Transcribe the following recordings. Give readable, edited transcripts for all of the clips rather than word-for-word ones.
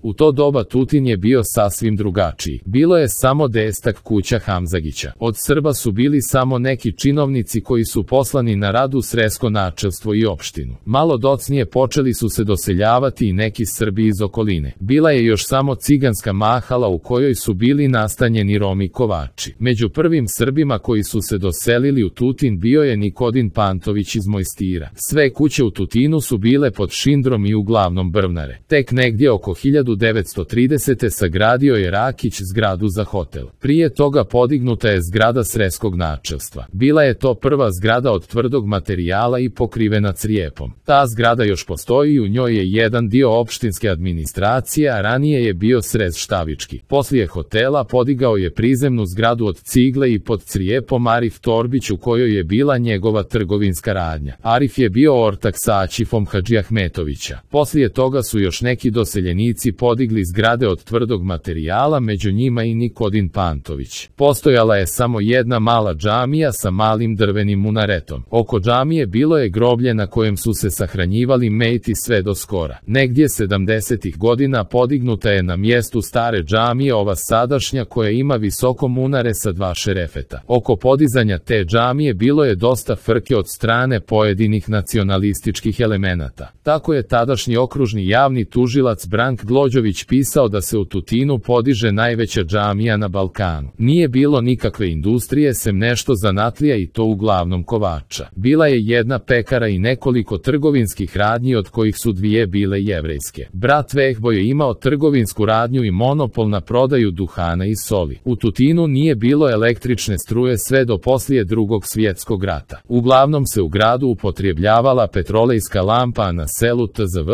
U to doba Tutin je bio sasvim drugačiji. Bilo je samo 10 kuća Hamzagića. Od Srba su bili samo neki činovnici koji su poslani na rad u sresko načelstvo i opštinu. Malo docnije počeli su se doseljavati i neki Srbi iz okoline. Bila je još samo ciganska mahala u kojoj su bili nastanjeni Romi kovači. Među prvim Srbima koji su se doselili u Tutin bio je Nikodin Pantović iz Mojstira. Sve kuće u Tutinu su bile pod šindrom i uglavnom brvnare. Tek negdje oko 1930. sagradio je Rakić zgradu za hotel. Prije toga podignuta je zgrada sreskog načelstva. Bila je to prva zgrada od tvrdog materijala i pokrivena crijepom. Ta zgrada još postoji i u njoj je jedan dio opštinske administracije, a ranije je bio srez štavički. Poslije hotela podigao je prizemnu zgradu od cigle i pod crijepom Arif Torbić u kojoj je bila njegova trgovinska radnja. Arif je bio ortak sa Aćifom Hadžiahmetovića. Poslije toga su još neki doseljenici podigli zgrade od tvrdog materijala, među njima i Nikodin Pantović. Postojala je samo jedna mala džamija sa malim drvenim munaretom. Oko džamije bilo je groblje na kojem su se sahranjivali mejti sve do skora. Negdje 70-ih godina podignuta je na mjestu stare džamije ova sadašnja koja ima visoko munare sa 2 šerefeta. Oko podizanja te džamije bilo je dosta frke od strane pojedinih nacionalističkih elemenata. Tako je tadašnji okružni javni tužilac Brank Glođović pisao da se u Tutinu podiže najveća džamija na Balkanu. Nije bilo nikakve industrije sem nešto zanatlija i to uglavnom kovača. Bila je jedna pekara i nekoliko trgovinskih radnji od kojih su 2 bile jevrejske. Brat Vehbo je imao trgovinsku radnju i monopol na prodaju duhana i soli. U Tutinu nije bilo električne struje sve do poslije Drugog svjetskog rata. Uglavnom se u gradu upotrebljavala petrolejska lampa, a na selu tzv.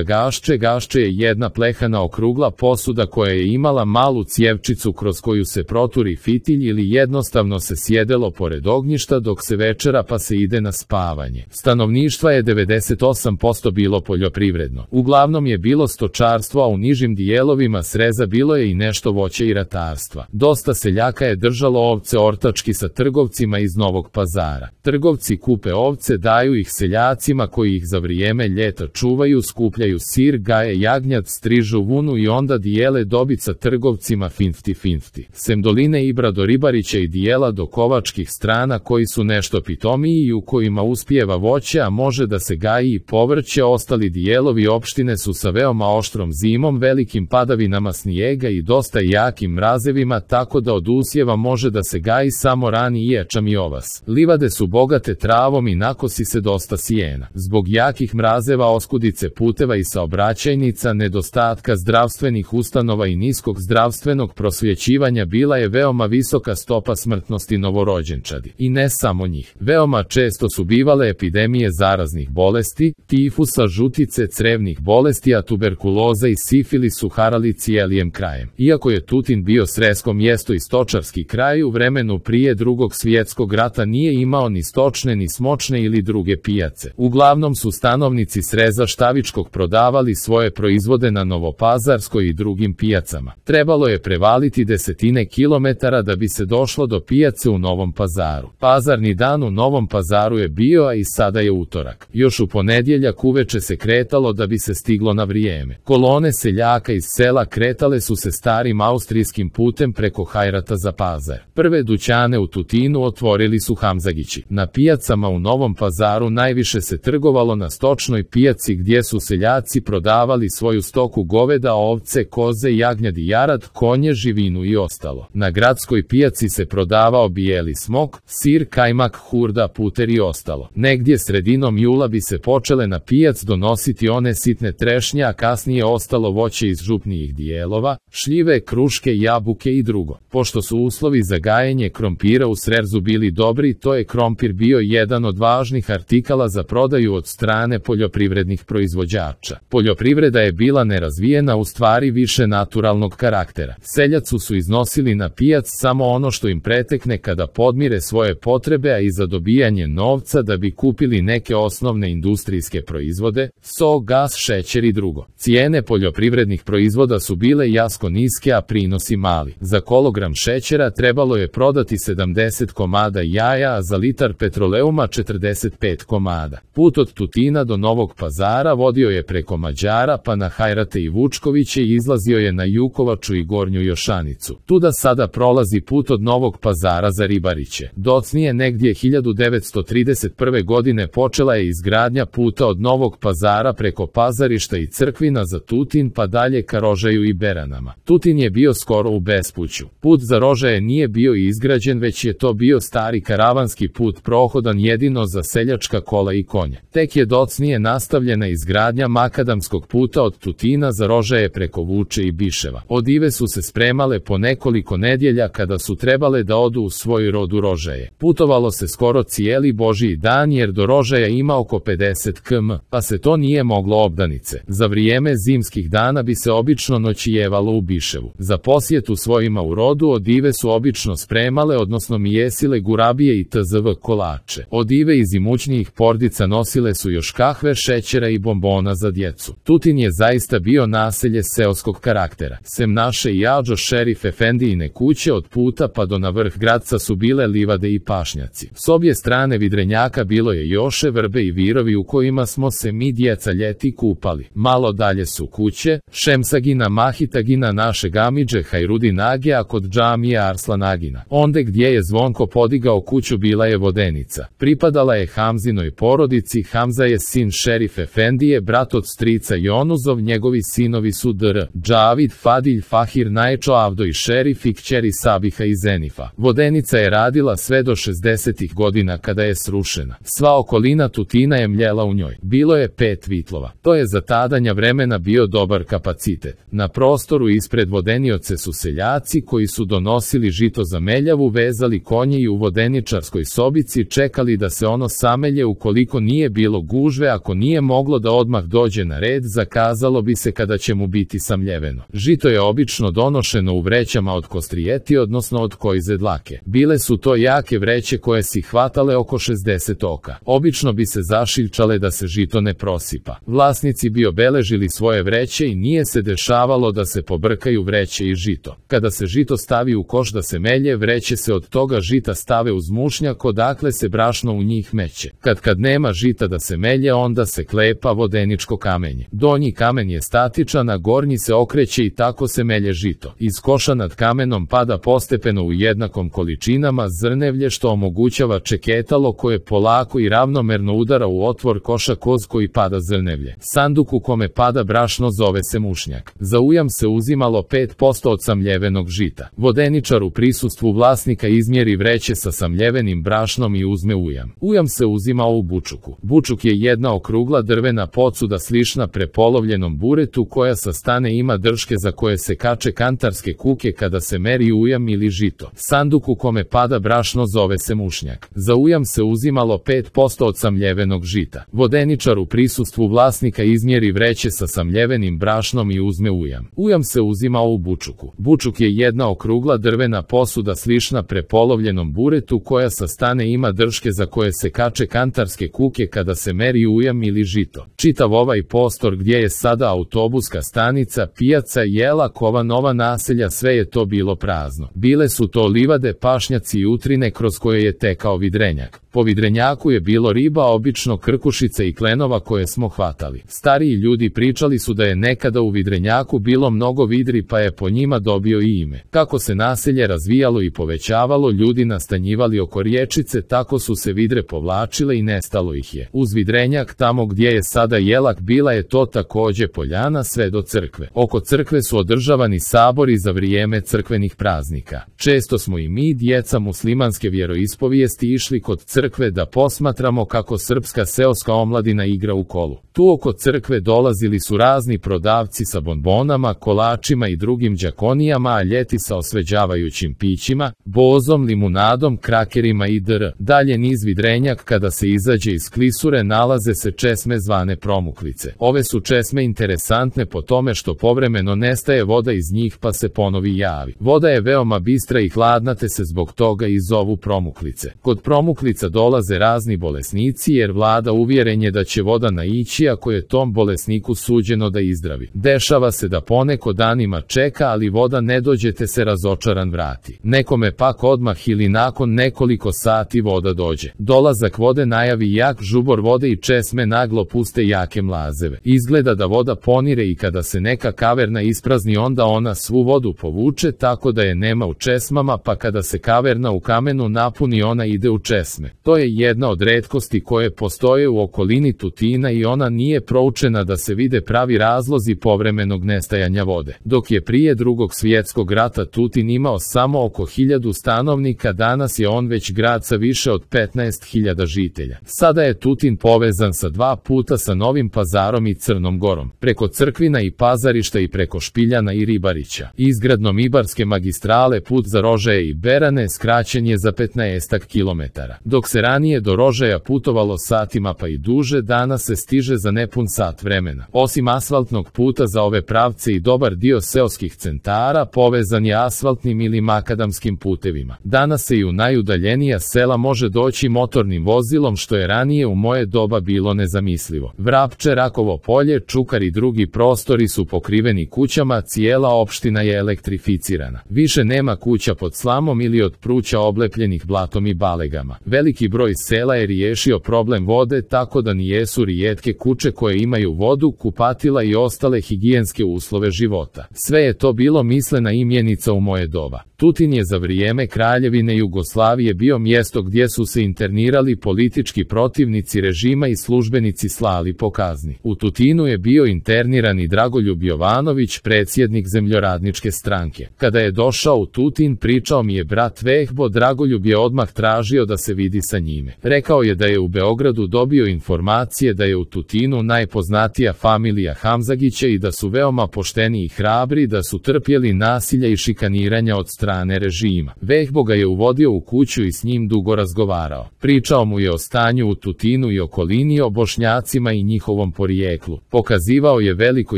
Gašče. Gašče je jedna plehana okrugla posuda koja je imala malu cijevčicu kroz koju se proturi fitilj ili jednostavno se sjedelo pored ognjišta dok se večera pa se ide na spavanje. Stanovništva je 98% bilo poljoprivredno. Uglavnom je bilo stočarstvo, a u nižim dijelovima sreza bilo je i nešto voća i ratarstva. Dosta seljaka je držalo ovce ortački sa trgovcima iz Novog Pazara. Trgovci kupe ovce, daju ih seljacima koji ih za vrijeme ljeta čuvaju, skupljaju sir, gaje jagnjad, strižu vunu i onda dijele dobit sa trgovcima 50-50. Sem Doline Ibra do Ribarića i dijela do kovačkih strana koji su nešto pitomiji i u kojima uspijeva voće, a može da se gaji i povrće, ostali dijelovi opštine su sa veoma oštrom zimom, velikim padavinama snijega i dosta jakim mrazevima, tako da od usjeva može da se gaji samo rani ječam i ovas. Livade su bogate travom i nakosi se dosta sijena. Zbog jakih mrazeva, oskudice puteva i saobraćajnica, nedostatka zdravstvenih ustanova i niskog zdravstvenog prosvjećivanja bila je veoma visoka stopa smrtnosti novorođenčadi. I ne samo njih. Veoma često su bivale epidemije zaraznih bolesti, tifusa, žutice, crevnih bolesti, a tuberkuloza i sifilis su harali cijelim krajem. Iako je Tutin bio sresko mjesto i stočarski kraj, u vremenu prije Drugog svjetskog rata nije imao ni stočne ni smočne ili druge pijace. Uglavnom su stanovnici sreza Štavičkog prodavali svoje proizvode na Novopazarskoj i drugim pijacama. Trebalo je prevaliti desetine kilometara da bi se došlo do pijace u Novom Pazaru. Pazarni dan u Novom Pazaru je bio, a i sada je utorak. Još u ponedjeljak uveče se kretalo da bi se stiglo na vrijeme. Kolone seljaka iz sela kretale su se starim austrijskim putem preko Hajrata za Pazar. Prve dućane u Tutinu otvorili su Hamzagići. Na pijacama u Novom Pazaru najviše se trgovalo na stočnoj pijaci gdje su seljaci prodavali svoju stoku goveda, ovce, koze, jagnjadi, jarad, konje, živinu i ostalo. Na gradskoj pijaci se prodavao bijeli smok, sir, kajmak, hurda, puter i ostalo. Negdje sredinom jula bi se počele na pijac donositi one sitne trešnje, a kasnije ostalo voće iz župnijih dijelova, šljive, kruške, jabuke i drugo. Pošto su uslovi za gajenje krompira u Srerzu bili dobri, to je krompir bio jedan od važnih artikala za prodaju od strane poljoprivrednih proizvođača. Poljoprivreda je bila nerazvijena, u stvari više naturalnog karaktera. Seljaci su iznosili na pijac samo ono što im pretekne kada podmire svoje potrebe, a i za dobijanje novca da bi kupili neke osnovne industrijske proizvode, so, gas, šećer i drugo. Cijene poljoprivrednih proizvoda su bile jako niske, a prinosi mali. Za kilogram šećera trebalo je prodati 70 komada jaja, a za litar petroleuma 45 komada. Put od Tutina do Novog Pazara vodio je preko Mađara pa na Hajrat Srete i Vučkoviće i izlazio je na Jukovaču i Gornju Jošanicu. Tuda sada prolazi put od Novog Pazara za Ribariće. Docnije negdje 1931. godine počela je izgradnja puta od Novog Pazara preko Pazarišta i Crkvina za Tutin pa dalje ka Rožaju i Beranama. Tutin je bio skoro u bespuću. Put za Rožaje nije bio izgrađen, već je to bio stari karavanski put prohodan jedino za seljačka kola i konje. Tek je docnije nastavljena izgradnja makadamskog puta od Tutina za Rožaje preko Vuče i Biševa. Odive su se spremale po nekoliko nedjelja kada su trebale da odu u svoj rod u Rožaje. Putovalo se skoro cijeli Božji dan jer do Rožaja ima oko 50 km, pa se to nije moglo obdanice. Za vrijeme zimskih dana bi se obično noćijevalo u Biševu. Za posjetu svojima u rodu odive su obično spremale, odnosno mijesile gurabije i tzv. Kolače. Odive iz imućnijih porodica nosile su još kahve, šećera i bombona za djecu. Tutin je zaista bio naselje seoskog karaktera. Sem naše i Adžo Šerif Efendijine kuće od puta pa do na vrh gradca su bile livade i pašnjaci. S obje strane Vidrenjaka bilo je joše, vrbe i virovi u kojima smo se mi djeca ljeti kupali. Malo dalje su kuće, Šemsagina, Mahitagina, našeg amidže Hajrudin Agija, kod džamije Arslan Agina. Onde gdje je Zvonko podigao kuću bila je vodenica. Pripadala je Hamzinoj porodici. Hamza je sin Šerif Efendije, brat od strica Jonuzov, njegovi sinovi su Dr. Džavid, Fadilj, Fahir, Najčo, Avdo i Šerif i kćeri Sabiha i Zenifa. Vodenica je radila sve do 60. godina kada je srušena. Sva okolina Tutina je mljela u njoj. Bilo je 5 vitlova. To je za tadanja vremena bio dobar kapacitet. Na prostoru ispred vodenioce su seljaci koji su donosili žito za meljavu, vezali konje i u vodeničarskoj sobici čekali da se ono samelje. Ukoliko nije bilo gužve, ako nije moglo da odmah dođe na red, zakazalo bi se kada će mu biti samljeveno. Žito je obično donošeno u vrećama od kostrijeti, odnosno od kojze dlake. Bile su to jake vreće koje si hvatale oko 60 oka. Obično bi se zašiljčale da se žito ne prosipa. Vlasnici bi obeležili svoje vreće i nije se dešavalo da se pobrkaju vreće i žito. Kada se žito stavi u koš da se melje, vreće se od toga žita stave uz mušnjak odakle se brašno u njih meće. Kad nema žita da se melje, onda se klepa vodeničko kamenje. Donji kamen je statičan, a gornji se okreće i tako se melje žito. Iz koša nad kamenom pada postepeno u jednakom količinama zrnevlje što omogućava čeketalo koje polako i ravnomerno udara u otvor koša kroz koji pada zrnevlje. Sanduk u kome pada brašno zove se mušnjak. Za ujam se uzimalo 5% od samljevenog žita. Vodeničar u prisustvu vlasnika izmjeri vreće sa samljevenim brašnom i uzme ujam. Ujam se uzimao u bučuku. Bučuk je jedna okrugla drvena pocuda slična prepolovljenom buretu koja sa stane ima drške za koje se kače kantarske kuke kada se meri ujam ili žito. Sanduk u kome pada brašno zove se mušnjak. Za ujam se uzimalo 5% od samljevenog žita. Vodeničar u prisustvu vlasnika izmjeri vreće sa samljevenim brašnom i uzme ujam. Ujam se uzimao u bučuku. Bučuk je jedna okrugla drvena posuda slična prepolovljenom buretu koja sa stane ima drške za koje se kače kantarske kuke kada se meri ujam ili žito. Čitav ovaj prostor gdje je sada autobuska stanica, pijaca, jela, kova, nova naselja, sve je to bilo prazno. Bile su to livade, pašnjaci i utrine kroz koje je tekao Vidrenjak. Po Vidrenjaku je bilo riba, obično krkušice i klenova koje smo hvatali. Stariji ljudi pričali su da je nekada u Vidrenjaku bilo mnogo vidri pa je po njima dobio i ime. Kako se naselje razvijalo i povećavalo, ljudi nastanjivali oko riječice, tako su se vidre povlačile i nestalo ih je. Uz Vidrenjak, tamo gdje je sada Jelak, bila je to takođe poljana sve do crkve. Oko crkve su održavani sabori za vrijeme crkvenih praznika. Često smo i mi, djeca muslimanske vjeroispovijesti, išli kod crkve da posmatramo kako srpska seoska omladina igra u kolu. Tu oko crkve dolazili su razni prodavci sa bonbonama, kolačima i drugim đakonijama, a ljeti sa osveđavajućim pićima, bozom, limunadom, krakerima i dr. Dalje niz Vidrenjak, kada se izađe iz klisure, nalaze se česme zvane promuklice. Ove su česme interesantne po tome što povremeno nestaje voda iz njih pa se ponovi javi. Voda je veoma bistra i hladna, te se zbog toga i zovu promuklice. Kod promuklica dolaze razni bolesnici jer vlada uvjerenje da će voda naići ako je tom bolesniku suđeno da izdravi. Dešava se da poneko danima čeka, ali voda ne dođe te se razočaran vrati. Nekome pak odmah ili nakon nekoliko sati voda dođe. Dolazak vode najavi jak žubor vode i česme naglo puste jake mlazeve. Izgleda da voda poneko funkcionire i kada se neka kaverna isprazni onda ona svu vodu povuče tako da je nema u česmama, pa kada se kaverna u kamenu napuni ona ide u česme. To je jedna od retkosti koje postoje u okolini Tutina i ona nije proučena da se vide pravi razlozi povremenog nestajanja vode. Dok je prije Drugog svjetskog rata Tutin imao samo oko 1000 stanovnika, danas je on već grad sa više od 15.000 žitelja. Sada je Tutin povezan sa 2 puta sa Novim Pazarom i Crnom Gorom, preko Crkvina i Pazarišta i preko Špiljana i Ribarića. Izgradnom Ibarske magistrale put za Rožaje i Berane skraćen je za 15 km. Dok se ranije do Rožaja putovalo satima pa i duže, danas se stiže za nepun sat vremena. Osim asfaltnog puta za ove pravce i dobar dio seoskih centara povezan je asfaltnim ili makadamskim putevima. Danas se i u najudaljenija sela može doći motornim vozilom, što je ranije u moje doba bilo nezamislivo. Vrapče, Rakovo polje, Čukar i drugi prostori su pokriveni kućama, cijela opština je elektrificirana. Više nema kuća pod slamom ili od pruća oblepljenih blatom i balegama. Veliki broj sela je riješio problem vode tako da nijesu rijetke kuće koje imaju vodu, kupatila i ostale higijenske uslove života. Sve je to bilo mislena imjenica u moje doba. Tutin je za vrijeme Kraljevine Jugoslavije bio mjesto gdje su se internirali politički protivnici režima i službenici slali po kazni. U Tutinu je bio interniran i Dragoljub Jovanović, predsjednik Zemljoradničke stranke. Kada je došao u Tutin, pričao mi je brat Vehbo, Dragoljub je odmah tražio da se vidi sa njime. Rekao je da je u Beogradu dobio informacije da je u Tutinu najpoznatija familija Hamzagića i da su veoma pošteni i hrabri, da su trpjeli nasilja i šikaniranja od strane režima. Vehbo ga je uvodio u kuću i s njim dugo razgovarao. Pričao mu je o stanju u Tutinu i okolini, o Bošnjacima i njihovom porijeklu. Pokazivao je veliko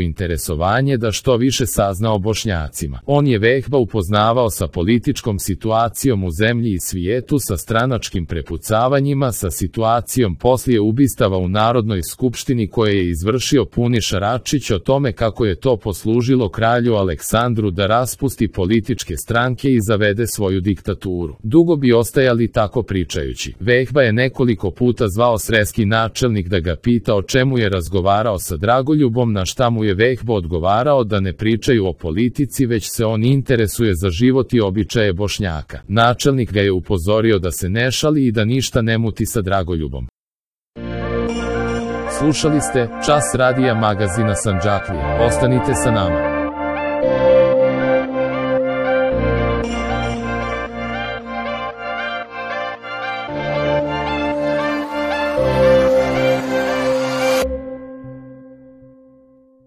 interesovanje da što više sazna o Bošnjacima. On je Vehba upoznavao sa političkom situacijom u zemlji i svijetu, sa stranačkim prepucavanjima, sa situacijom poslije ubistava u Narodnoj skupštini koje je izvršio Puniša Račić, o tome kako je to poslužilo kralju Aleksandru da raspusti političke stranke i zavede svoju diktaturu. Dugo bi ostajali tako pričajući. Vehba je nekoliko puta zvao sreski načelnik da ga pita o čemu je razgovarao sa Dragoljubom, na šta mu je Vehbo odgovarao da ne pričaju o politici, već se on interesuje za život i običaje Bošnjaka. Načelnik ga je upozorio da se ne šali i da ništa ne muti sa Dragoljubom. Slušali ste Čas radija magazina Sandžaklija. Ostanite sa nama.